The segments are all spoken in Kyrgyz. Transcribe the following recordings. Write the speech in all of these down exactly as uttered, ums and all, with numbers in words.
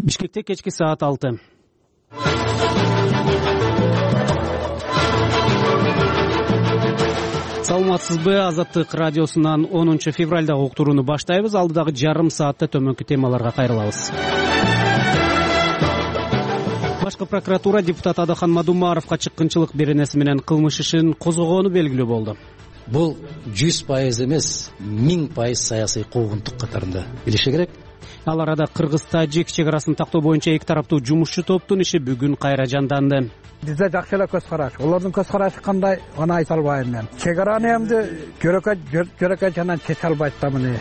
Бишкекте кечки саат алты. Саламатсызбы? Азаттык радиосунан онунчу февралдагы уктурууну баштайбыз. Алдыдагы жарым саатта төмөнкү темаларга кайрылабыз. Башкы прокуратура депутат Адахан Мадумаровго чыккынчылык беренеси менен кылмыш ишин козгогону белгилүү болду. Бул жүз пайыз эмес, миң пайыз саясий куугунтук катарында билиши керек. Ал арада Кыргыз-Тажик чек арасын тактоо боюнча эки тараптуу жумушчу топтун иши бүгүн кайра жанданды. Бизде жакшы эле көз караш. Олордун көз карашы кандай, аны айта албайм мен. Чек араны эмди көрөкөй көрөкөй жандан чече албайт да муну.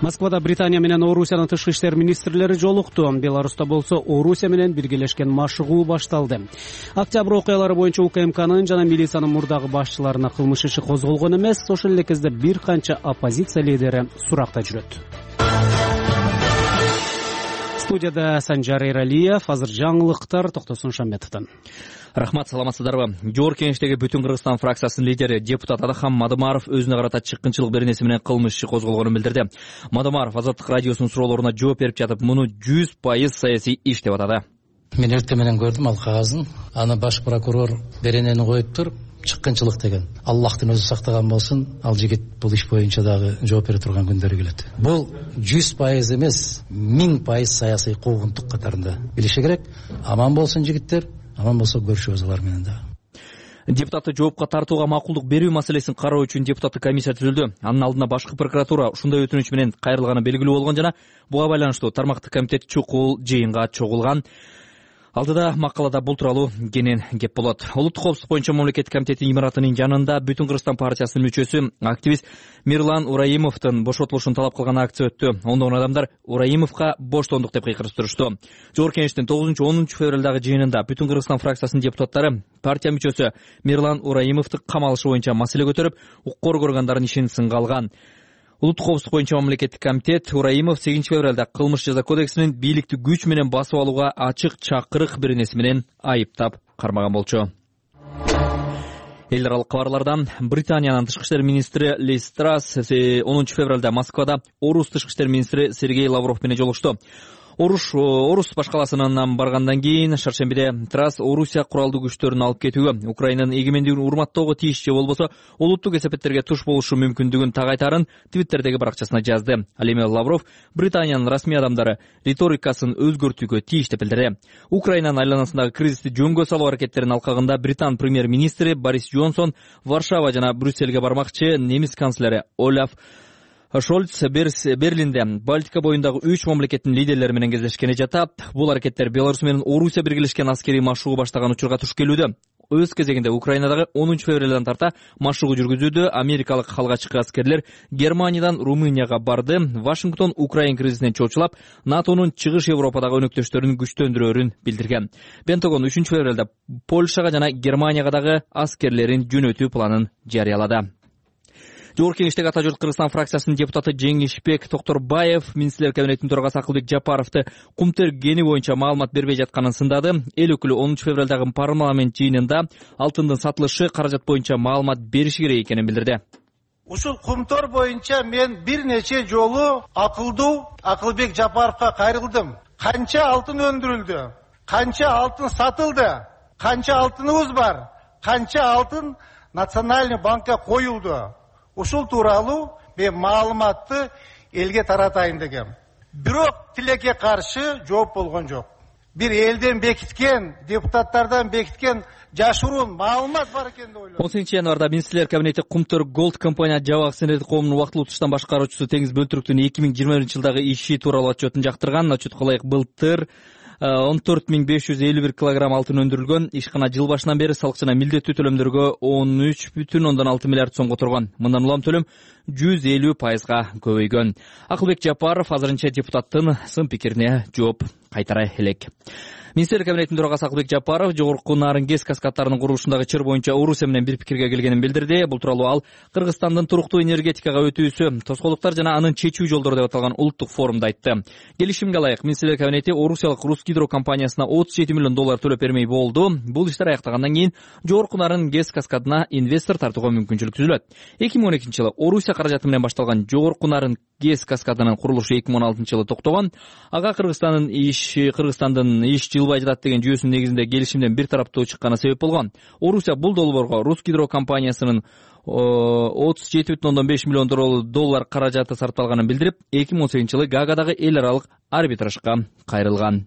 Москвада Британия менен Орусиянын тышкы иштер министрлери жолукту. Беларуста болсо Орусия менен биргелешкен машыгуу башталды. Октябрь окуялары боюнча УКМКнын жана милициянын мурдагы башчыларына кылмыш иши козголгон эмес, ошол эле кезде бир канча оппозиция лидери суракта жүрөт. Студияда Санжар Эралиев, азыр жаңылыктар Токтосун Шамбетовдон. Рахмат, саламатсыздарбы? Жогорку Кеңештеги Бүтүн Кыргызстан фракциясынын лидери депутат Адахан Мадумаров өзүнө карата чыккынчылык беренеси менен кылмыш иши козголгонун билдирди. Мадумаров Азаттык радиосунун суроолоруна жооп берип жатып, муну жүз пайыз саясий иш деп атады. Мен эртең менен көрдүм ал кагазын. Аны баш прокурор беренени коюп туруп, чыккынчылык деген. Аллахтын өзү сактаган болсун, ал жигит бул иш боюнча дагы жооп бере турган күндөрү келет. Бул жүз пайыз эмес, миң пайыз саясий куугунтук катарында билиши керек. Аман болсун жигиттер, аман болсо көрүшөбүз алар менен дагы. Депутатты жоопко тартууга макулдук берүү маселесин кароо үчүн депутаттык комиссия түзүлдү. Анын алдына башкы прокуратура ушундай өтүнүч менен кайрылганы белгилүү болгон жана буга байланыштуу тармактык комитет чукул жыйынга чогулган. Алдыда макалада бул тууралуу кенен кеп болот. Улуттук коопсуздук боюнча мамлекеттик комитеттин имаратынын жанында Бүтүн Кыргызстан партиясынын мүчөсү, активист Мирлан Ураимовдун бошотулушун талап кылган акция өттү. Ондогон адамдар Ураимовго боштондук деп кыйкырып турушту. Жогорку Кеңештин тогузунчу онунчу февралдагы жыйынында Бүтүн Кыргызстан фракциясынын депутаттары партия мүчөсү Мирлан Ураимовду камалышы боюнча маселе көтөрүп, укук органдардын ишин сынга алган. Улуттук коопсуздук боюнча мамлекеттик комитет Ураимов сегизинчи февралда кылмыш жаза кодексинин бийликти күч менен басып алууга ачык чакырык беренеси менен айыптап кармаган болчу. Эл аралык кабарлардан Британиянын тышкы иштер министри Лиз Трасс онунчу февралда Москвада Орус тышкы иштер министри Сергей Лавров менен жолугушту. Оруш Орус башкаласынан баргандан кийин шаршембиде Трасс Орусия куралдуу күчтөрүн алып кетүүгө, Украинанын эгемендигин урматтоого тийиш же болбосо улуттук эсепеттерге туш болушу мүмкүндүгүн так айтарын Твиттердеги баракчасына жазды. Ал эми Лавров Британиянын расмий адамдары риторикасын өзгөртүүгө тийиш деп билдирди. Украинанын айланасындагы кризисти жөнгө салуу аракеттеринин алкагында Британ премьер-министри Борис Джонсон Варшава жана Брюссельге бармакчы. Немис канцлери Олаф Шольц Берлинде Балтика боюндагы үч мамлекеттин лидерлери менен кездешкени жатат. Бул аракеттер Беларусь менен Орусия биргелешкен аскерий машыгуу баштаган учурга туш келүүдө. Өз кезегинде Украинадагы онунчу февралдан тарта машыгуу жүргүзүүдө америкалык халгачкы аскерлер Германиядан Румынияга барды. Вашингтон Украин кризисинен чочулап, НАТОнун чыгыш Европадагы өнөктөштөрүн күчтөндүрөөрүн билдирген. Пентагон үчүнчү февралда Польшага жана Германияга дагы аскерлерин жөнөтүү планын жарыялады. Жогорку Кеңештеги Ата журт Кыргызстан фракциясынын депутаты Жеңишбек Токторбаев министрлер кабинетинин төрагасы Акылбек Жапаровду кумтергени боюнча маалымат бербей жатканын сындады. Эл өкүлү онунчу февралдагы парламент жыйынында алтындын сатылышы каражат боюнча маалымат бериши керек экенин билдирди. Ушул кумтор боюнча мен бир нече жолу акылдуу Акылбек Жапаровго кайрылдым. Канча алтын өндүрүлдү? Канча алтын сатылды? Канча алтыныбыз бар? Канча алтын Национальный банкка коюлду? Ушул тууралуу мен маалыматты элге таратайын дегем. Бирок тилекке каршы жооп болгон жок. Бир элден бекиткен, депутаттардан бекиткен жашыруун маалымат бар экен деп ойлойм. он сегизинчи январда министрлер кабинети Кумтөр Голд компания жабак сенедик коомунун вактылуу туштан башкаруучусу Теңиз Бөлтүрүктүн эки миң жыйырма биринчи жылдагы иши тууралуу отчетун жактырган. Отчетко ылайык былтыр он төрт миң беш жүз элүү бир килограмм алтын өндүрүлгөн. Ишкана жыл башынан бери салык жана милдеттүү төлөмдөргө он үч бүтүн ондон алты миллиард сомго турган. Мындан улам төлөм жүз элүү пайызга көбөйгөн. Акылбек Жапаров азырынча депутаттын сын пикирине жооп кайтара элек. Министрлер кабинетинин төрагасы Акылбек Жапаров жогорку нарын гез каскадтарынын курулушундагы чыр боюнча Орусия менен бир пикирге келгенин билдирди. Бул тууралуу ал Кыргызстандын туруктуу энергетикага өтүүсү, тоскоолдуктар жана анын чечүү жолдору деп аталган улуттук форумда айтты. Келишимге ылайык министрлер кабинети Орусиялык Русгидро компаниясына отуз жети миллион доллар төлөп бермей болду. Бул иштер аяктагандан кийин жогорку нарын гез каскадына инвестор тартууга мүмкүнчүлүк түзүлөт. эки миң он экинчи жылы Орусия каражаты менен башталган жогорку нарын гез каскадынын курулушу эки миң он алтынчы жылы токтогон. Ага Кыргызстандын иш Кыргызстандын иш жылбай жатат деген жүйөсүнүн негизинде келишимден бир тараптуу чыкканы себеп болгон. Орусия бул долбоорго Русгидро компаниясынын отуз жети бүтүн ондон беш миллион доллар каражаты сарпталганын билдирип, эки миң он сегизинчи жылы Гаагадагы эл аралык арбитражга кайрылган.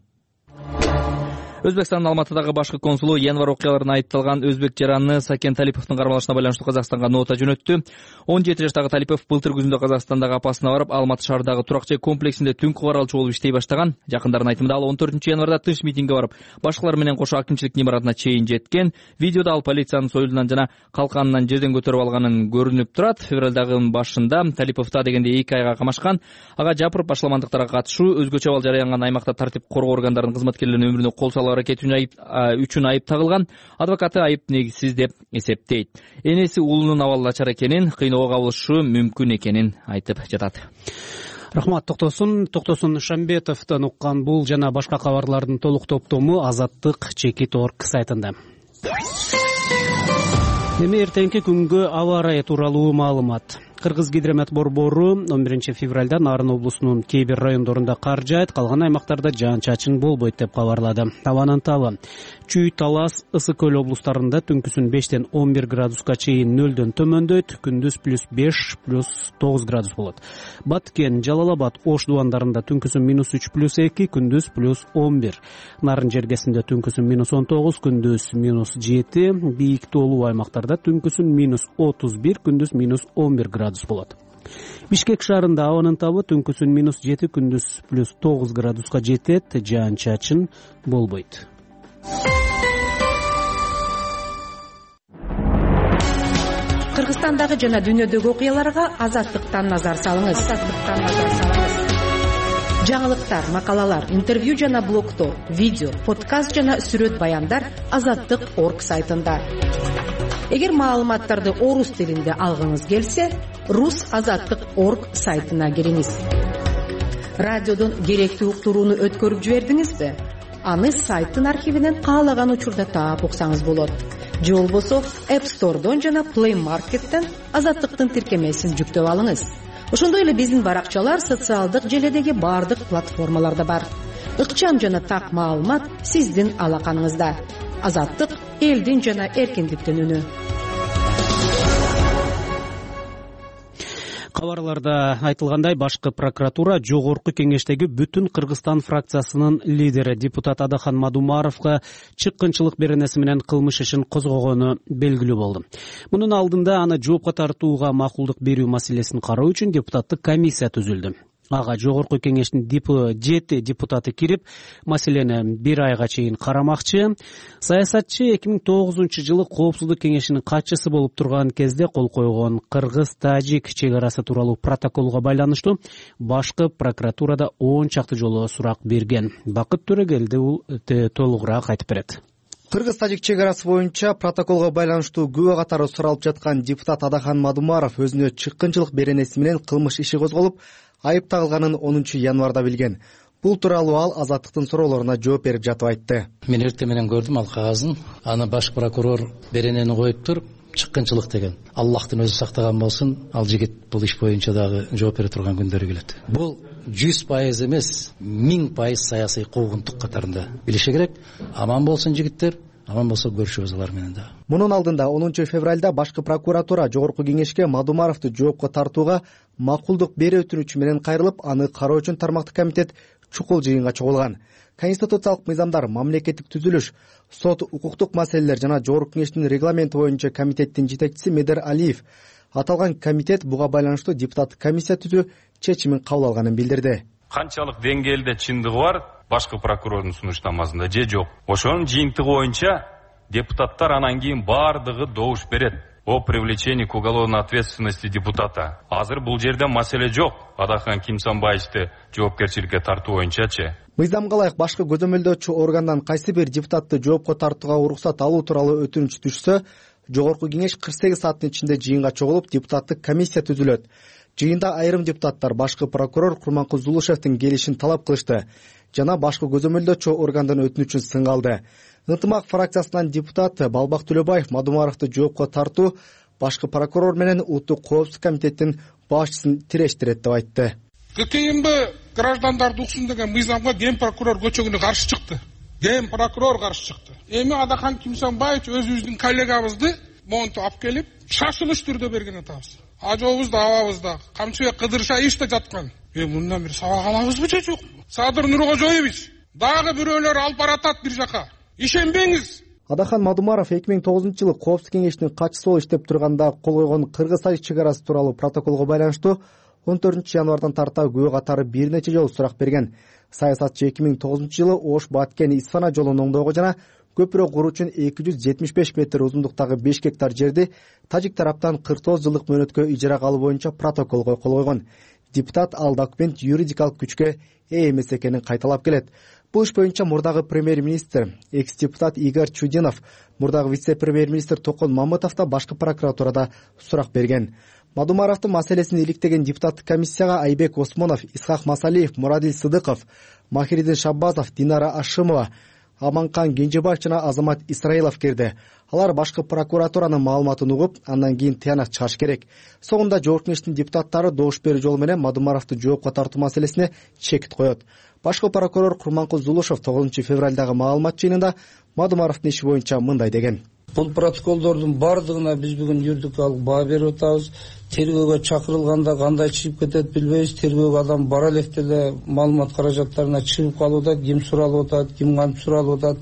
Өзбекстандын Алматыдагы башкы консулу январь окуяларына айыпталган өзбек жараны Сакен Талиповдун кармалышына байланыштуу Казакстанга нота жөнөттү. он жети жаштагы Талипов былтыр күзүндө Казакстандагы апасына барып, Алматы шаарындагы турак жай комплексинде түнкү каралчу болуп иштей баштаган. Жакындардын айтымында ал он төртүнчү январда тынч митингге барып, башкалар менен кошо акимчиликтин имаратына чейин жеткен. Видеодо ал полициянын союлунан жана калканынан жерден көтөрүп алганын көрүнүп турат. Февралдагы башында Талиповду дегенде эки айга камашкан. Ага жапырып башламандыктарга катышуу, өзгөчө абал жарыянган аймакта тартип коргоо органдарынын кызматкерлеринин өмүрүнө кол салуу аракети үчүн айып тагылган. Адвокаты айып негизсиз деп эсептейт. Энеси уулунун абалы начар экенин, кыйноого кабылышы мүмкүн экенин айтып жатат. Рахмат. Токтосун Токтосун Шамбетовдон уккан бул жана башка кабарлардын толук топтому Азаттык чекит точка орг сайтында. Эми эртеңки күнгө аба ырайы тууралуу маалымат. Кыргызгидромет борбору он биринчи февралда Нарын облусунун кээ бир райондорунда кар жаайт, калган аймактарда жаан-чачын болбойт деп кабарлады. Абанын табы Чүй, Талас, Ысык көл облустарында түнкүсүн бештен он бир градуска чейин нөлдөн төмөндөйт, күндүз плюс беш, плюс тогуз градус болот. Баткен, Жалал Абад, Ош дубандарында түнкүсүн минус үч плюс эки, күндүз плюс он бир. Нарын жергесинде түнкүсүн минус он тогуз, күндүз минус жети, бийик тоолуу аймактарда түнкүсүн минус отуз бир, күндүз минус он бир градус болот. Бишкек шаарында абанын табы түнкүсүн минус жети, күндүз плюс тогуз градуска жетет, жаан-чачын болбойт. Кыргызстандагы жана дүйнөдөгү окуяларга Азаттыктан назар салыңыз. Азаттыктан назар салыңыз. Жаңылыктар, макалалар, интервью жана блогтор, видео, подкаст жана сүрөт баяндар Азаттык точка орг сайтында. Эгер маалыматтарды орус тилинде алгыңыз келсе, рус азаттык точка орг сайтына кириңиз. Радиодон керектүү уктурууну өткөрүп жибердиңизби? Аны сайттын архивинен каалаган учурда таап уксаңыз болот. Же болбосо App Store'дон жана Play Market'тен Азаттыктын тиркемесин жүктөп алыңыз. Ошондой эле биздин баракчалар социалдык желедеги бардык платформаларда бар. Ыкчам жана так маалымат сиздин алаканыңызда. Азаттык элдин жана эркиндиктин үнү. Кабарларда айтылгандай, башкы прокуратура жогорку кеңештеги бүтүн Кыргызстан фракциясынын лидери депутат Адахан Мадумаровго чыккынчылык беренеси менен кылмыш ишин козгогону белгилүү болду. Мунун алдында аны жоопко тартууга макулдук берүү маселесин кароо үчүн депутаттык комиссия түзүлдү. Ага жогорку кеңештин жети депутаты кирип, маселени бир айга чейин карамакчы. Саясатчы эки миң тогузунчу жылы коопсуздук кеңешинин катчысы болуп турган кезде кол койгон кыргыз-тажик чек арасы тууралуу протоколго байланыштуу башкы прокуратурада он чакты жолу сурак берген. Бакыт Төрөгелди бул толугураак айтып берет. Кыргыз-тажик чек арасы боюнча протоколго байланыштуу күбө катары суралып жаткан депутат Адахан Мадумаров өзүнө чыккынчылык беренеси менен кылмыш иши козголуп, айып тагылганын онунчу январда билген. Бул тууралуу ал Азаттыктын суроолоруна жооп берип жатып айтты. Мен эртең менен көрдүм ал кагазын. Аны баш прокурор беренени коюп туруп, чыккынчылык деген. Аллахтын өзү сактаган болсун, ал жигит бул иш боюнча дагы жооп бере турган күндөрү келет. Бул жүз пайыз эмес, миң пайыз саясий куугунтук катарында билиши керек. Аман болсун жигиттер, аман болсо көрүшөбүз алар менен да. Мунун алдында онунчу февралда башкы прокуратура жогорку кеңешке Мадумаровду жоопко тартууга макулдук берүү өтүнүчү менен кайрылып, аны кароо үчүн тармактык комитет чукул жыйынга чогулган. Конституциялык мыйзамдар, мамлекеттик түзүлүш, сот, укуктук маселелер жана жогорку кеңештин регламенти боюнча комитеттин жетекчиси Медер Алиев аталган комитет буга байланыштуу депутаттык комиссия түзүү чечимин кабыл алганын билдирди. Канчалык деңгээлде чындыгы бар башкы прокурордун сунуштамасында же жок. Ошонун жыйынтыгы боюнча депутаттар анан кийин баардыгы добуш берет о привлечении к уголовной ответственности депутата. Азыр бул жерде маселе жок. Адахан Кимсанбаевди жоопкерчиликке тартуу боюнчачы. Мыйзамга ылайык башкы көзөмөлдөөчү органдан кайсы бир депутатты жоопко тартууга уруксат алуу тууралуу өтүнүч түшсө, жогорку кеңеш кырк сегиз сааттын ичинде жыйынга чогулуп, депутаттык комиссия түзүлөт. Жыйында айрым депутаттар башкы прокурор Курманкул Зулушевдин келишин талап кылышты жана башкы көзөмөлдөөчү органдан өтүнүчүн сынга алды. Ынтымак фракциясынан депутат Балбак Төлөбаев Мадумаровду жоопко тартуу башкы прокурор менен Улуттук коопсуздук комитеттин башчысын тирештирет деп айтты. ККМБ граждандарды уксун деген мыйзамга ген прокурор көчөгүнө каршы чыкты. Ген прокурор каршы чыкты. Эми Адахан Кимсанбаевич өзүбүздүн коллегабызды монтуп алып келип, шашылыш түрдө берген атабыз. Ажообуз да абабыз да Камчыбек Кыдыршаевич да жаткан. Эми мындан бир сабак алабызбы же жокпу? Садыр Нуркожоевич дагы бирөөлөр алып баратат бир жака. Ишенбеңиз. Адахан Мадумаров эки миң тогузунчу жылы Коопсуздук кеңешинин катчысы болуп иштеп турганда кол койгон Кыргыз-Тажик чек арасы тууралуу протоколго байланыштуу он төртүнчү январдан тарта күбө катары бир нече жолу сурак берген. Саясатчы эки миң тогузунчу жылы Ош Баткен Исфана жолун оңдоого жана көпүрө куруу үчүн эки жүз жетимиш беш метр узундуктагы беш гектар жерди тажик тараптан кырк тогуз жылдык мөөнөткө ижарага алуу боюнча протоколго кол койгон. Депутат ал документ юридикалык күчкө ээ эмес экенин кайталап келет. Бул иш боюнча мурдагы премьер-министр, экс-депутат Игорь Чудинов, мурдагы вице-премьер-министр Токон Мамытов да башкы прокуратурада сурак берген. Мадумаровдун маселесин иликтеген депутаттык комиссияга Айбек Осмонов, Исхак Масалиев, Мурадил Сыдыков, Махиридин Шаббазов, Динара Ашимова, Аманкан Кенжебаев жана Азамат Исраилов кирди. Алар башкы прокуратуранын маалыматын угуп, андан кийин тыянак чыгыш керек. Соңунда жогорку кеңештин депутаттары добуш берүү жолу менен Мадумаровду жоопко тартуу маселесине чекит коет. Башкы прокурор Курманкул Зулушев тогузунчу февралдагы маалымат жыйынында Мадумаровдун иши боюнча мындай деген. Бул протоколдордун бардыгына биз бүгүн юридикалык баа берип атабыз. Тергөөгө чакырылганда кандай чыгып кетет билбейбиз. Тергөөгө адам бара электе эле маалымат каражаттарына чыгып калып атат, ким суралып атат, ким кантип суралып атат.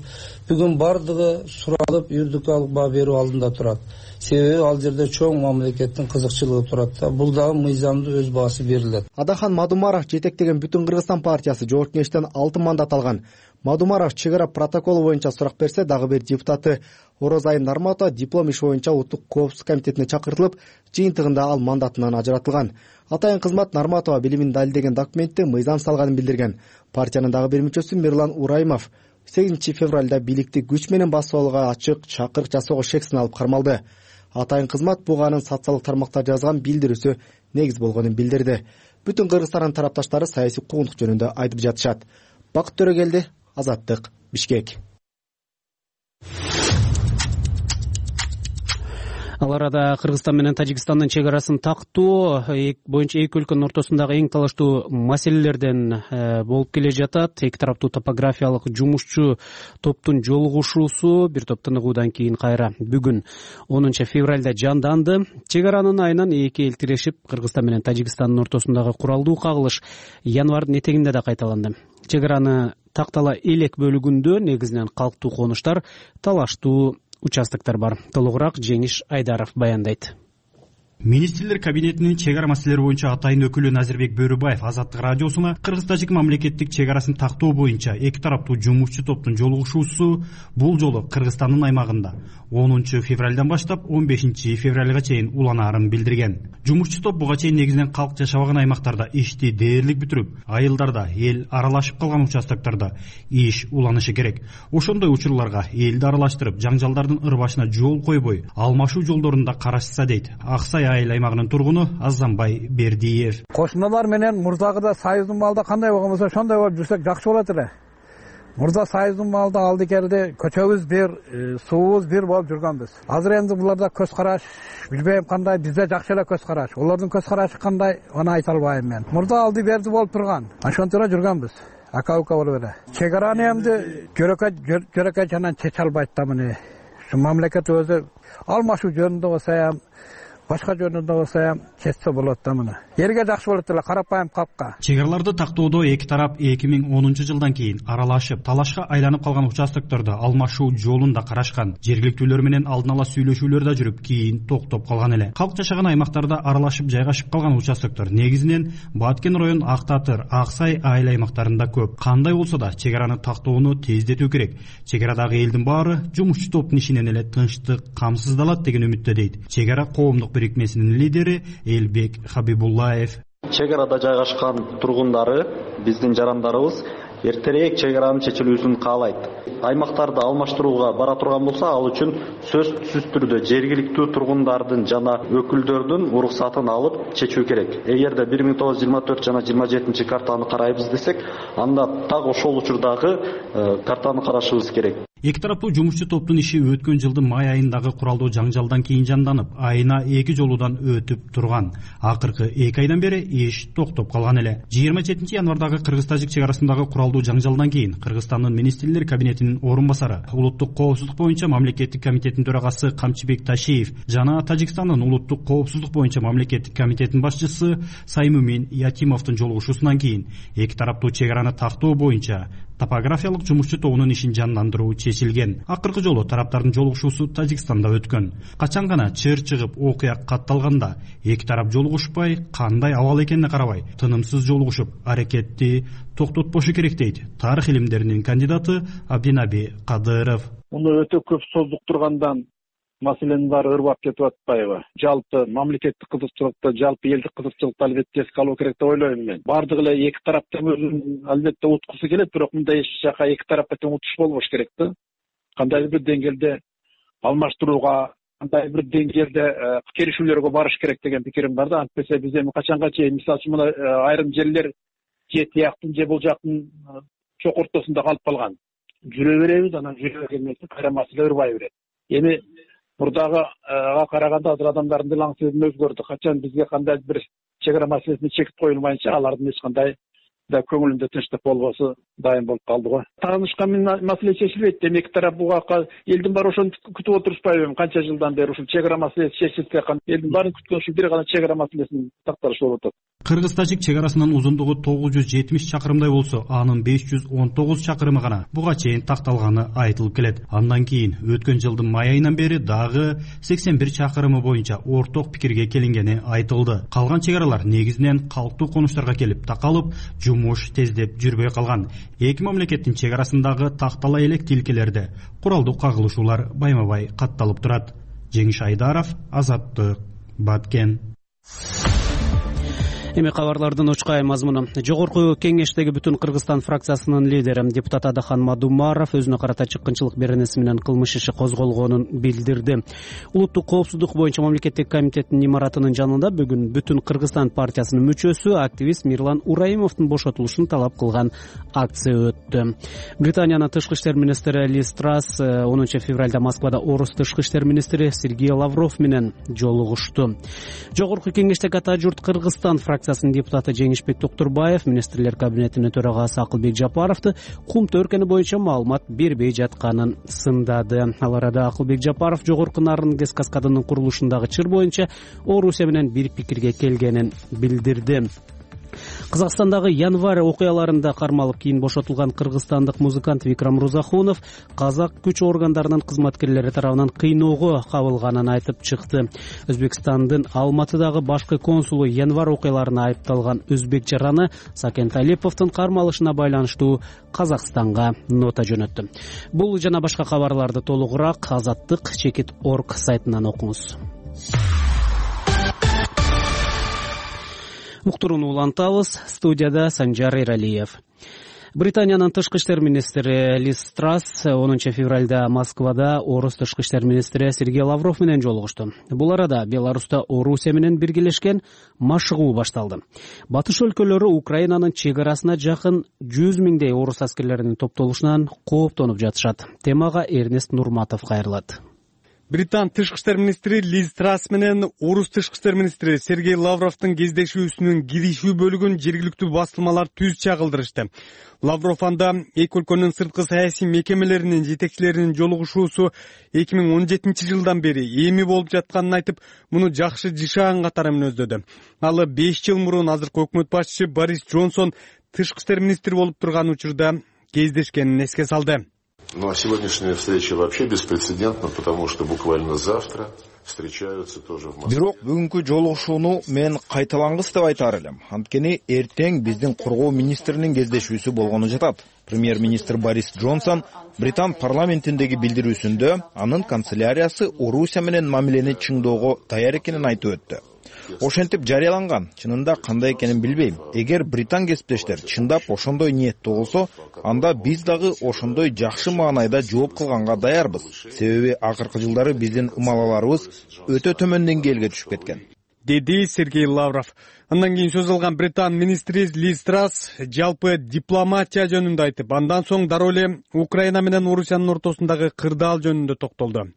Бүгүн бардыгы суралып юридикалык баа берүү алдында турат. Себеби ал жерде чоң мамлекеттин кызыкчылыгы турат да. Бул дагы мыйзамдуу өз баасы берилет. Адахан Мадумаров жетектеген Бүтүн Кыргызстан партиясы жогорку кеңештен алты мандат алган. Мадумаров чек ара протоколу боюнча сурак берсе, дагы бир депутаты Орозай Нарматова диплом иши боюнча Улуттук коопсуздук комитетине чакыртылып, жыйынтыгында ал мандатынан ажыратылган. Атайын кызмат Нарматова билимин далилдеген документте мыйзам салганын билдирген. Партиянын дагы бир мүчөсү Мирлан Ураймов сегизинчи февралда бийликти күч менен басып алууга ачык чакырык жасоого шек сыналып кармалды. Атайын кызмат буга анын социалдык тармактар жазган билдирүүсү негиз болгонун билдирди. Бүтүн Кыргызстандын тарапташтары саясий куугунтук жөнүндө айтып жатышат. Бакыт Төрөгелди, Азаттык, Бишкек. Ал арада Кыргызстан менен Тажикстандын чек арасын тактоо боюнча эки өлкөнүн ортосундагы эң талаштуу маселелерден болуп келе жатат. Эки тараптуу топографиялык жумушчу топтун жолугушуусу бир топ тыныгуудан кийин кайра бүгүн онунчу февралда жанданды. Чек аранын айынан эки эл тирешип, Кыргызстан менен Тажикстандын ортосундагы куралдуу кагылыш январдын этегинде да кайталанды. Чек араны тактала элек бөлүгүндө негизинен калктуу конуштар, талаштуу участоктор бар. Толугураак Жеңиш Айдаров баяндайт. Министрлер кабинетинин чек ара маселелери боюнча атайын өкүлү Назирбек Бөрүбаев Азаттык радиосуна Кыргыз-Тажик мамлекеттик чек арасын тактоо боюнча эки тараптуу жумушчу топтун жолугушуусу бул жолу Кыргызстандын аймагында онунчу февралдан баштап он бешинчи февралга чейин уланаарын билдирген. Жумушчу топ буга чейин негизинен калк жашабаган аймактарда ишти дээрлик бүтүрүп, айылдарда, эл аралашып калган участоктордо иш уланышы керек. Ошондой учурларга элди аралаштырып, жаңжалдардын ырбашына жол койбой, алмашуу жолдорунда карашса дейт Аксай айыл аймагынын тургуну Азамбай Бердиев. Кошуналар менен мурдагыда союздун маалда кандай болгон болсо ошондой болуп жүрсөк жакшы болот эле. Мурда союздун маалда алдыкерде көчөбүз бир, суубуз бир болуп жүргөнбүз. Азыр энди буларда көз караш, билбейм кандай, бизде жакшы эле көз караш. Олордун көз карашы кандай, аны айта албайм мен. Мурда алды берди болуп турган. Ошонтора жүргөнбүз. Ака-ука болуп эле. Чек араны эмди көрөкөй көрөкөй жанан чече албайт да муну. Ушу мамлекет өзү алмашуу жөнүндө болсо, башка жөнүндө болсо чечсе болот да муну. Элге жакшы болот эле, карапайым капка. Чек араларды тактоодо эки тарап эки миң онунчу жылдан кийин аралашып, талашка айланып калган участоктордо алмашуу жолун да карашкан. Жергиликтүүлөр менен алдын ала сүйлөшүүлөр да жүрүп, кийин токтоп калган эле. Калк жашаган аймактарда аралашып жайгашып калган участоктор негизинен Баткен район, Ак Татыр, Аксай айыл аймактарында көп. Кандай болсо да чек араны тактоону тездетүү керек. Чек арадагы элдин баары жумушчу топтун ишинен эле тынчтык, камсыздалат деген үмүттө дейт чек ара коомдук бирикмесинин лидери Элбек Хабибуллаев. Чек арада жайгашкан тургундары, биздин жарандарыбыз эртерээк чек аранын чечилүүсүн каалайт. Аймактарды алмаштырууга бара турган болсо, ал үчүн сөзсүз түрдө жергиликтүү тургундардын жана өкүлдөрдүн уруксатын алып чечүү керек. Эгерде бир миң тогуз жүз жыйырма төрт жана жыйырма жетинчи картаны карайбыз десек, анда так ошол учурдагы картаны карашыбыз керек. Эки тараптуу жумушчу топтун иши өткөн жылдын май айындагы куралдуу жаңжалдан кийин жанданып, айына эки жолуудан өтүп турган. Акыркы эки айдан бери иш токтоп калган эле. жыйырма жетинчи январдагы кыргыз-тажик чек арасындагы куралдуу жаңжалдан кийин Кыргызстандын министрлер кабинетинин орун басары, улуттук коопсуздук боюнча мамлекеттик комитеттин төрагасы Камчыбек Ташиев жана Тажикстандын улуттук коопсуздук боюнча мамлекеттик комитеттин башчысы Саймумин Ятимовдун жолугушуусунан кийин эки тараптуу чек араны тактоо боюнча топографиялык жумушчу тобунун ишин жандандыруу чечилген. Акыркы жолу тараптардын жолугушуусу Тажикстанда өткөн. Качан гана чыр чыгып окуя катталганда эки тарап жолугушпай, кандай абал экенине карабай, тынымсыз жолугушуп, аракетти токтотпошу керек дейт тарых илимдеринин кандидаты Абдинаби Кадыров. Муну өтө көп создуктургандан маселенин баары ырбап кетип атпайбы? Жалпы мамлекеттик кызыкчылыкты, жалпы элдик кызыкчылыкты албетте эске алуу керек деп ойлойм мен. Бардыгы эле эки тараптын өзүн албетте уткусу келет, бирок мындай эч жака эки тарапка тең утуш болбош керек да. Кандайдыр бир деңгээлде алмаштырууга, кандайдыр бир деңгээлде келишүүлөргө барыш керек деген пикирим бар да. Антпесе биз эми качанга чейин, мисалы үчүн, мына айрым жерлер же тияктын же бул жактын чок ортосунда калып калган. Жүрө беребиз, анан жүрө келмесе кайра маселе ырбай берет. Эми мурдага караганда азыр адамдардын дил аңсызы өзгөрдү. Качан бизге кандайдыр бир чек ара маселесине чек коюлмайынча алардын эч кандай да көңүлүндө тынчтык болбосу дайым болуп калды го. Таанышкан маселе чечилбейт. Эми эки тарап буга элдин баары ошону күтүп отурушпайбы? Канча жылдан бери ушул чек ара маселеси чечилсе, элдин баарын күткөн ушул бир гана чек ара маселесинин такталышы болуп атат. Кыргыз-тажик чек арасынын узундугу тогуз жүз жетимиш чакырымдай болсо, анын беш жүз он тогуз чакырымы гана буга чейин такталганы айтылып келет. Андан кийин өткөн жылдын май айынан бери дагы сексен бир чакырымы боюнча орток пикирге келингени айтылды. Калган чек аралар негизинен калктуу конуштарга келип такалып, жумуш тездеп жүрбөй калган. Эки мамлекеттин чек арасындагы тактала элек тилкелерде куралдуу кагылышуулар байма-бай катталып турат. Жеңиш Айдаров, Азаттык, Баткен. Эми кабарлардын очкай мазмуну. Жогорку кеңештеги Бүтүн Кыргызстан фракциясынын лидери депутат Адахан Мадумаров өзүнө карата чыккынчылык беренеси менен кылмыш иши козголгонун билдирди. Улуттук коопсуздук боюнча мамлекеттик комитеттин имаратынын жанында бүгүн Бүтүн Кыргызстан партиясынын мүчөсү, активист Мирлан Ураимовдун бошотулушун талап кылган акция өттү. Британиянын тышкы иштер министри Лиз Трасс онунчу февралда Москвада орус тышкы иштер министри Сергей Лавров менен жолугушту. Жогорку кеңештеги ата журт Кыргызстан фракциясынын депутаты Жеңишбек Токтурбаев министрлер кабинетинин төрагасы Акылбек Жапаровду кум төркүнү боюнча маалымат бербей жатканын сындады. Ал арада Акылбек Жапаров жогорку нарын гэс каскадынын курулушундагы чыр боюнча Орусия менен бир пикирге келгенин билдирди. Казакстандагы январь окуяларында кармалып кийин бошотулган кыргызстандык музыкант Викрам Рузахунов казак күч органдарынын кызматкерлери тарабынан кыйноого кабылганын айтып чыкты. Өзбекстандын Алматыдагы башкы консулу январь окуяларына айыпталган өзбек жараны Сакен Талиповдун кармалышына байланыштуу Казакстанга нота жөнөттү. Бул жана башка кабарларды толугураак азаттык чекит точка орг сайтынан окуңуз. Уктурууну улантабыз. Студияда Санжар Эралиев. Британиянын тышкы иштер министри Лиз Трасс онунчу февралда Москвада орус тышкы иштер министри Сергей Лавров менен жолугушту. Бул арада Беларуста Орусия менен биргелешкен машыгуу башталды. Батыш өлкөлөрү Украинанын чек арасына жакын жүз миңдей орус аскерлеринин топтолушунан кооптонуп жатышат. Темага Эрнест Нурматов кайрылат. Британ тышкы иштер министри Лиз Трасс менен орус тышкы иштер министри Сергей Лавровдун кездешүүсүнүн киришүү бөлүгүн жергиликтүү басылмалар түз чагылдырышты. Лавров анда эки өлкөнүн сырткы саясий мекемелеринин жетекчилеринин жолугушуусу эки миң он жетинчи жылдан бери эми болуп жатканын айтып, муну жакшы жышаан катары мүнөздөдү. Ал беш жыл мурун азыркы өкмөт башчысы Борис Джонсон тышкы иштер министри болуп турган учурда кездешкенин эске салды. Ну а сегодняшняя встреча вообще беспрецедентна, потому что буквально завтра встречаются тоже в Москве. Бирок бүгүнкү жолугушууну мен кайталангыс деп айтаар элем. Анткени эртең биздин коргоо министринин кездешүүсү болгону жатат. Премьер-министр Борис Джонсон Британ парламентиндеги билдирүүсүндө анын канцеляриясы Орусия менен мамилени чыңдоого даяр экенин айтып өттү. Ошентип жарыяланган. Чынында кандай экенин билбейм. Эгер британ кесиптештер чындап ошондой ниеттүү болсо, анда биз дагы ошондой жакшы маанайда жооп кылганга даярбыз. Себеби акыркы жылдары биздин ымалаларыбыз өтө төмөн деңгээлге түшүп кеткен. деди Сергей Лавров. Андан кийин сөз алган Британ министри Лиз Трасс жалпы дипломатия жөнүндө айтып, андан соң дароо эле Украина менен Орусиянын ортосундагы кырдаал жөнүндө токтолду.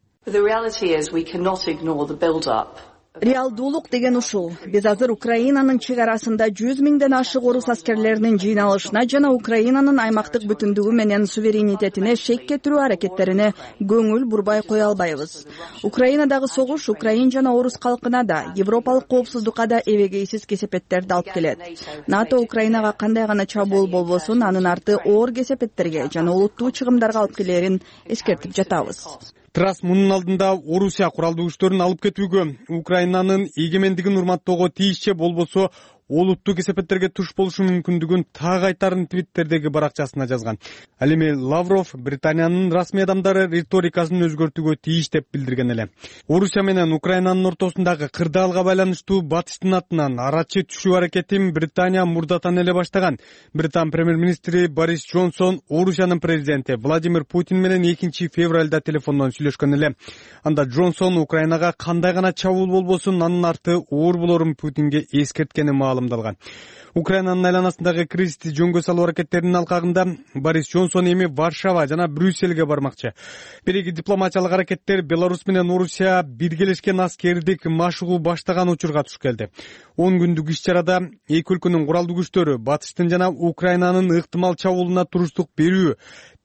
Реалдуулук деген ушул. Биз азыр Украинанын чек арасында жүз миңден ашык орус аскерлеринин жыйналышына жана Украинанын аймактык бүтүндүгү менен суверенитетине шек кетирүү аракеттерине көңүл бурбай кое албайбыз. Украинадагы согуш украин жана орус калкына да, европалык коопсуздукка да эбегейсиз кесепеттерди алып келет. НАТО Украинага кандай гана чабуул болбосун, анын арты оор кесепеттерге жана олуттуу чыгымдарга алып келерин эскертип жатабыз. Трасс мунун алдында Орусия куралдуу күчтөрүн алып кетүүгө, Украинанын эгемендигин урматтоого тийишчи болбосо олуттуу кесепеттерге туш болушу мүмкүндүгүн так айтарын твиттердеги баракчасына жазган. Ал эми Лавров Британиянын расмий адамдары риторикасын өзгөртүүгө тийиш деп билдирген эле. Орусия менен Украинанын ортосундагы кырдаалга байланыштуу батыштын атынан арачы түшүү аракетин Британия мурдатан эле баштаган. Британ премьер-министри Борис Джонсон Орусиянын президенти Владимир Путин менен экинчи февралда телефондон сүйлөшкөн эле. Анда Джонсон Украинага кандай гана чабуул болбосун, анын арты оор болорун Путинге эскерткени маалым. Украинанын айланасындагы кризисти жөнгө салуу аракеттеринин алкагында Борис Джонсон эми Варшава жана Брюссельге бармакчы. Бириги дипломатиялык аракеттер Беларусь менен Орусия биргелешкен аскердик машыгуу баштаган учурга туш келди. он күндүк иш-чарада эки өлкөнүн куралдуу күчтөрү батыштын жана Украинанын ыктымал чабуулуна туруштук берүү,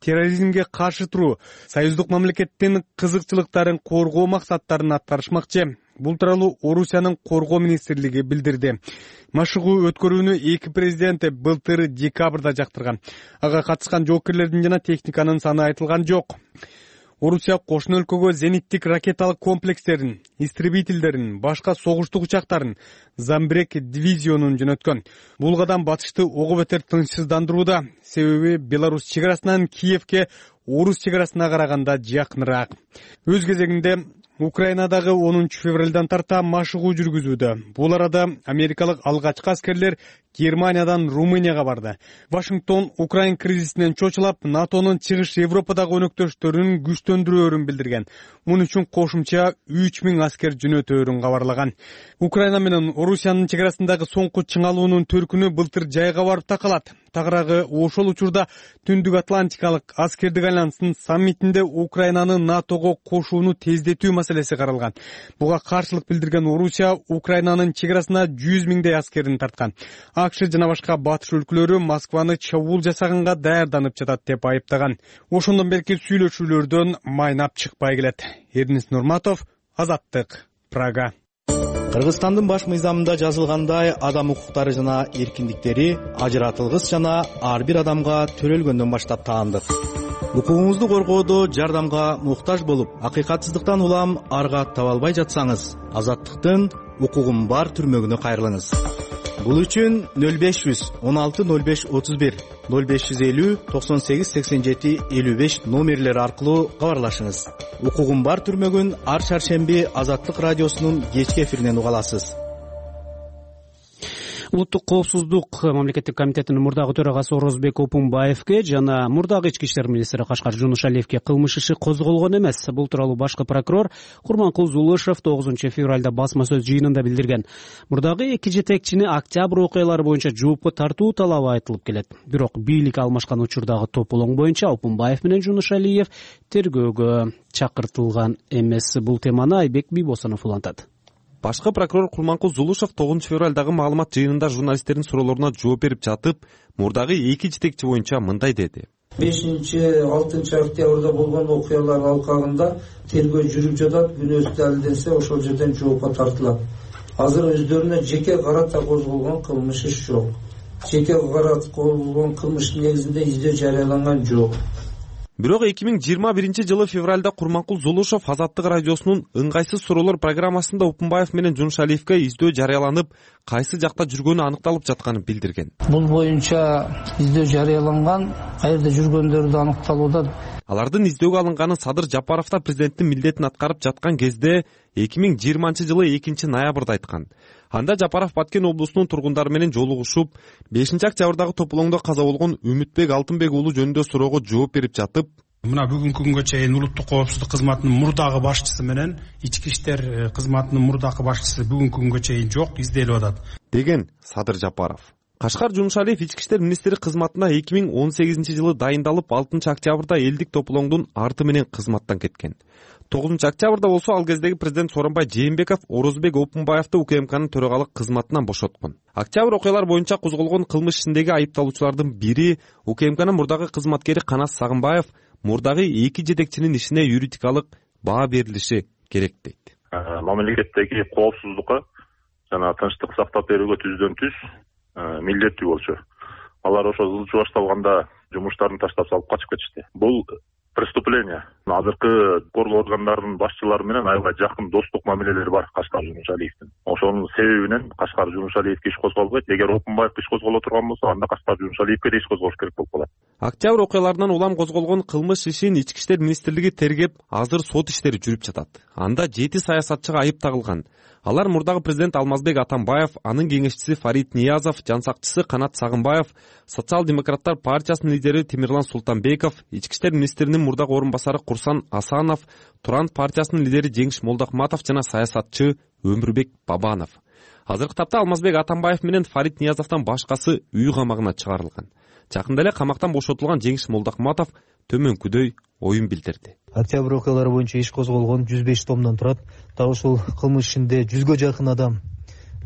терроризмге каршы туруу, союздук мамлекеттин кызыкчылыктарын коргоо максаттарын аткарышмакчы. Бул тууралуу Орусиянын коргоо министрлиги билдирди. Машыгуу өткөрүүнү эки президенти былтыр декабрда жактырган. Ага катышкан жоокерлердин жана техниканын саны айтылган жок. Орусия кошуна өлкөгө зениттик ракеталык комплекстерин, истребительдерин, башка согуштук учактарын, Замбрек дивизионун жөнөткөн. Бул кадам батышты ого бетер тынчсыздандырууда, себеби Беларусь чек арасынан Киевке орус чек арасына караганда жакыныраак. Өз кезегинде Украинадагы онунчу февралдан тарта машыгуу жүргүзүүдө. Бул арада америкалык алгачкы аскерлер Германиядан Румынияга барды. Вашингтон Украин кризисинен чочулап, НАТОнун чыгыш Европадагы өнөктөштөрүн күчтөндүрөөрүн билдирген. Муну үчүн кошумча үч миң аскер жөнөтөөрүн кабарлаган. Украина менен Орусиянын чек арасындагы соңку чыңалуунун төркүнү былтыр жайга барып такалат. Тагыраагы ошол учурда Түндүк Атлантикалык аскердик альянстын саммитинде Украинаны НАТОго кошууну тездетүү маселеси каралган. Буга каршылык билдирген Орусия Украинанын чек арасына жүз миңдей аскерин тарткан. АКШ жана башка батыш өлкөлөрү Москваны чабуул жасаганга даярданып жатат деп айыптаган. Ошондон берки сүйлөшүүлөрдөн майнап чыкпай келет. Эрнис Нурматов, Азаттык, Прага. Кыргызстандын баш мыйзамында жазылгандай, адам укуктары жана эркиндиктери ажыратылгыс жана ар бир адамга төрөлгөндөн баштап таандык. Укугуңузду коргоодо жардамга муктаж болуп, акыйкатсыздыктан улам арга таба албай жатсаңыз, Азаттыктын укугум бар түрмөгүнө кайрылыңыз. Бул үчүн нөл беш жүз он алты нөл беш отуз бир, нөл беш жүз элүү токсон сегиз сексен жети элүү беш номерлери аркылуу кабарлашыңыз. Укугум бар түрмөгүн ар шаршемби Азаттык радиосунун кечки эфиринен уга аласыз. Улуттук коопсуздук мамлекеттик комитетинин мурдагы төрагасы Орозбек Опунбаевге жана мурдагы ички иштер министри Кашкар Жунушалиевге кылмыш иши козголгон эмес. Бул тууралуу башкы прокурор Курманкул Зулушев тогузунчу февралда басма сөз жыйынында билдирген. Мурдагы эки жетекчини октябрь окуялары боюнча жоопко тартуу талабы айтылып келет. Бирок бийлик алмашкан учурдагы тополоң боюнча Опунбаев менен Жунушалиев тергөөгө чакыртылган эмес. Бул теманы Айбек Бийбосонов улантат. Башкы прокурор Курманкул Зулушев тогузунчу февралдагы маалымат жыйынында журналисттердин суроолоруна жооп берип жатып, мурдагы эки жетекчи боюнча мындай деди. бешинчи алтынчы октябрда болгон окуялар алкагында тергөө жүрүп жатат, күнөөсү далилденсе ошол жерден жоопко тартылат. Азыр өздөрүнө жеке карата козголгон кылмыш иш жок. Жеке карата козголгон кылмыштын негизинде издөө жарыяланган жок. Бирок эки миң жыйырма биринчи жылы февралда Курманкул Зулушев Азаттык радиосунун ыңгайсыз суроолор программасында Опунбаев менен Жунушалиевге издөө жарыяланып, кайсы жакта жүргөнү аныкталып жатканын билдирген. Бул боюнча издөө жарыяланган, кайерде жүргөндөрү да аныкталууда. Алардын издөөгө алынганы Садыр Жапаровдо президенттин милдетин аткарып жаткан кезде эки миң жыйырманчы жылы экинчи ноябрда айткан. Анда Жапаров Баткен облусунун тургундары менен жолугушуп, бешинчи октябрдагы тополоңдо каза болгон Үмүтбек Алтынбек уулу жөнүндө суроого жооп берип жатып, Мына бүгүнкү күнгө чейин улуттук коопсуздук кызматынын мурдагы башчысы менен ички иштер кызматынын мурдагы башчысы бүгүнкү күнгө чейин жок, изделип атат деген Садыр Жапаров. Кашкар Жумушалиев ички иштер министри кызматына эки миң он сегизинчи жылы дайындалып, алтынчы октябрда элдик тополоңдун арты менен кызматтан кеткен. тогузунчу октябрда болсо ал кездеги президент Сооронбай Жээнбеков Орозбек Опунбаевди УКМКнын төрагалык кызматынан бошоткон. Октябрь окуялар боюнча козголгон кылмыш ишиндеги айыпталуучулардын бири УКМКнын мурдагы кызматкери Канат Сагынбаев мурдагы эки жетекчинин ишине юридикалык баа берилиши керек дейт. Мамлекеттеги коопсуздукка жана тынчтык сактап берүүгө түздөн түз милдеттүү болчу. Алар ошо ылчы башталганда жумуштарын таштап салып качып кетишти. Бул преступление. Азыркы коргоо органдарынын башчылары менен аябай жакын достук мамилелери бар Кашкар Жумушалиевдин. Ошонун себебинен Кашкар Жумушалиевге иш козголбойт. Эгер Опунбаевге иш козголо турган болсо, анда Кашкар Жумушалиевге да иш козголуш керек болуп калат. Октябрь окуяларынан улам козголгон кылмыш ишин ички иштер министрлиги тергеп, азыр сот иштери жүрүп жатат. Анда жети саясатчыга айып тагылган. Алар мурдагы президент Алмазбек Атамбаев, анын кеңешчиси Фарид Ниязов, жансакчысы Канат Сагынбаев, Социал-демократтар партиясынын лидери Темирлан Султанбеков, ички иштер министринин мурдагы орун басары Курсан Асанов, Туран партиясынын лидери Жеңиш Молдохматов жана саясатчы Өмүрбек Бабанов. Азыркы тапта Алмазбек Атамбаев менен Фарид Ниязовдон башкасы үй камагына чыгарылган. Жакында эле камактан бошотулган Жеңиш Молдохматов төмөнкүдөй оюн билдирди. Октябрь окуялары боюнча иш козголгон жүз беш томдон турат. Так ушул кылмыш ишинде жүзгө жакын адам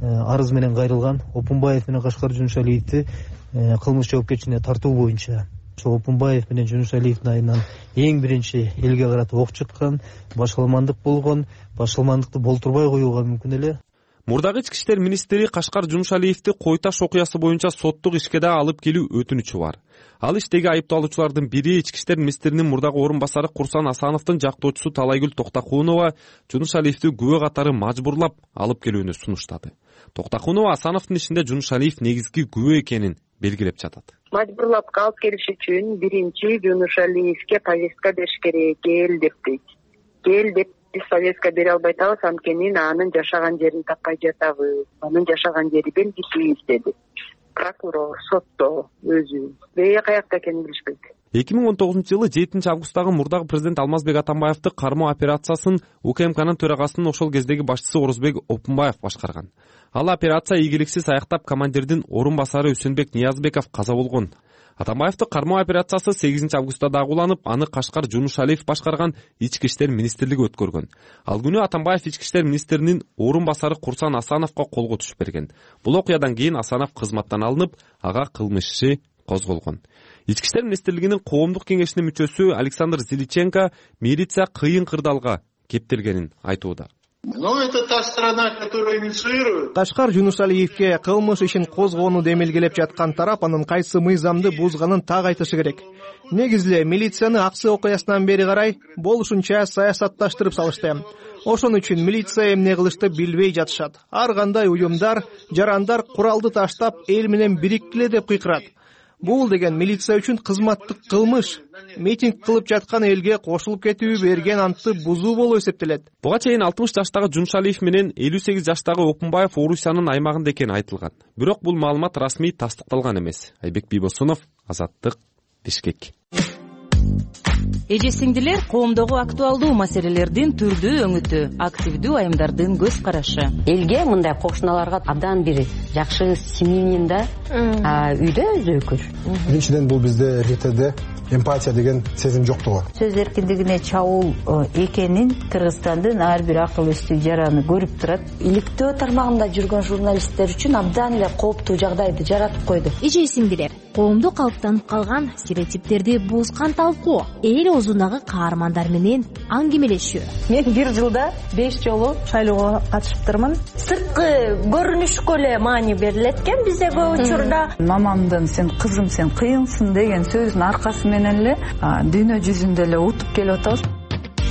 арыз менен кайрылган. Опунбаев менен Кашкар Жумушалиевди кылмыш жоопкерчилигине тартуу боюнча ошо Опунбаев менен Жумушалиевдин айынан эң биринчи элге карата ок чыккан, башкалмандык болгон, башкалмандыкты болтурбай коюуга мүмкүн эле. Мурдагы ички иштер министри Кашкар Жумушалиевди Кой Таш окуясы боюнча соттук ишке да алып келүү өтүнүчү бар. Ал иштеги айыпталуучулардын бири ички иштер министринин мурдагы орун басары Курсан Асановдун жактоочусу Талайгүл Токтакунова Жумушалиевди күбө катары мажбурлап алып келүүнү сунуштады. Токтакунова Асановдун ишинде Жумушалиев негизги күбө экенин белгилеп жатат. Мажбурлап алып келиш үчүн биринчи Жумушалиевге повестка бериш керек, кел деп дейт. Кел деп биз повестка бере албай атабыз, анткени анын жашаган жерин таппай жатабыз. Анын жашаган жери белгисиз деди. Прокурор, сотто өзү бее каякта экенин билишпейт. эки миң он тогузунчу жылы жетинчи августтагы мурдагы президент Алмазбек Атамбаевди кармоо операциясын УКМКнын төрагасынын ошол кездеги башчысы Орозбек Опунбаев башкарган. Ал операция ийгиликсиз аяктап, командирдин орун басары Үсөнбек Ниязбеков каза болгон. Атамбаевдин кармоо операциясы сегизинчи августта дагы уланып, аны Кашкар Жумушалиев башкарган ички иштер министрлиги өткөргөн. Ал күнү Атамбаев ички иштер министринин орун басары Курсан Асановго колго түшүп берген. Бул окуядан кийин Асанов кызматтан алынып, ага кылмыш иши козголгон. Ички иштер министрлигинин коомдук кеңешинин мүчөсү Александр Зиличенко милиция кыйын кырдаалга кептелгенин айтууда. Но это та страна, которая инициирует. Кашкар Жумушалиевге кылмыш ишин козгоону демилгелеп жаткан тарап анын кайсы мыйзамды бузганын так айтышы керек. Негизи милицияны Аксы окуясынан бери карай болушунча саясатташтырып салышты. Ошон үчүн милиция эмне кылышты билбей жатышат. Ар кандай уюмдар, жарандар куралды таштап эл менен бириктиле деп кыйкырат. Бул деген милиция үчүн кызматтык кылмыш. Митинг кылып жаткан элге кошулуп кетүү, берген антты бузуу болуп эсептелет. Буга чейин алтымыш жаштагы Жумушалиев менен элүү сегиз жаштагы Опунбаев Орусиянын аймагында экени айтылган. Бирок бул маалымат расмий тастыкталган эмес. Айбек Бийбосунов, Азаттык, Бишкек. Эже сиңдилер, коомдогу актуалдуу маселелердин түрдүү өңүтү, активдүү айымдардын көз карашы. Элге мындай кошуналарга абдан бир жакшы семьянин да үйдө өзөкүр. Биринчиден бул бизде РТде эмпатия деген сезим жоктугу. Сөз эркиндигине чабуул экенин Кыргызстандын ар бир акыл эстүү жараны көрүп турат. Иликтөө тармагында жүргөн журналисттер үчүн абдан эле кооптуу жагдайды жаратып койду. Эже сиңдилер, коомдо калыптанып калган стереотиптерди бузган талкуу, эл оозундагы каармандар менен аңгемелешүү. Мен бир жылда беш жолу шайлоого катышыптырмын. Сырткы көрүнүшкө эле маани берилет экен бизде көп учурда. Мамамдын "сен кызым, сен кыйынсың" деген сөзүнүн аркасы менен эле дүйнө жүзүндө эле утуп келип атабыз.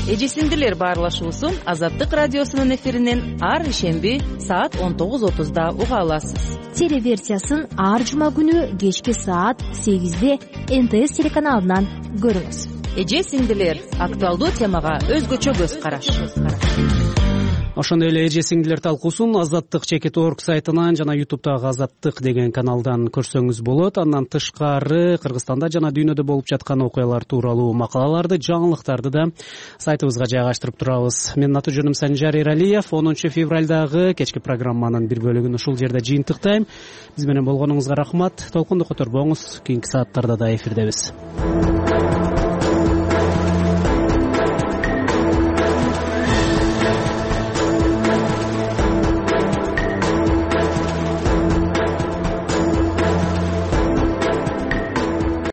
Эже сиңдилер баарлашуусун Азаттык радиосунун эфиринен ар ишемби саат он тогуз отузда уга аласыз. Телеверсиясын ар жума күнү кечки саат сегизде Эн Тэ Эс телеканалынан көрүңүз. Эже сиңдилер, актуалдуу темага өзгөчө көз караш. ошондой эле эже сиңдилер талкуусун азаттык чекит орг сайтынан жана ютубтагы азаттык деген каналдан көрсөңүз болот. Андан тышкары Кыргызстанда жана дүйнөдө болуп жаткан окуялар тууралуу макалаларды, жаңылыктарды да сайтыбызга жайгаштырып турабыз. Менин аты жөнүм Санжар Эралиев. онунчу февралдагы кечки программанын бир бөлүгүн ушул жерде жыйынтыктайм. Биз менен болгонуңузга рахмат. Толкунду которбоңуз. Кийинки сааттарда да эфирдебиз.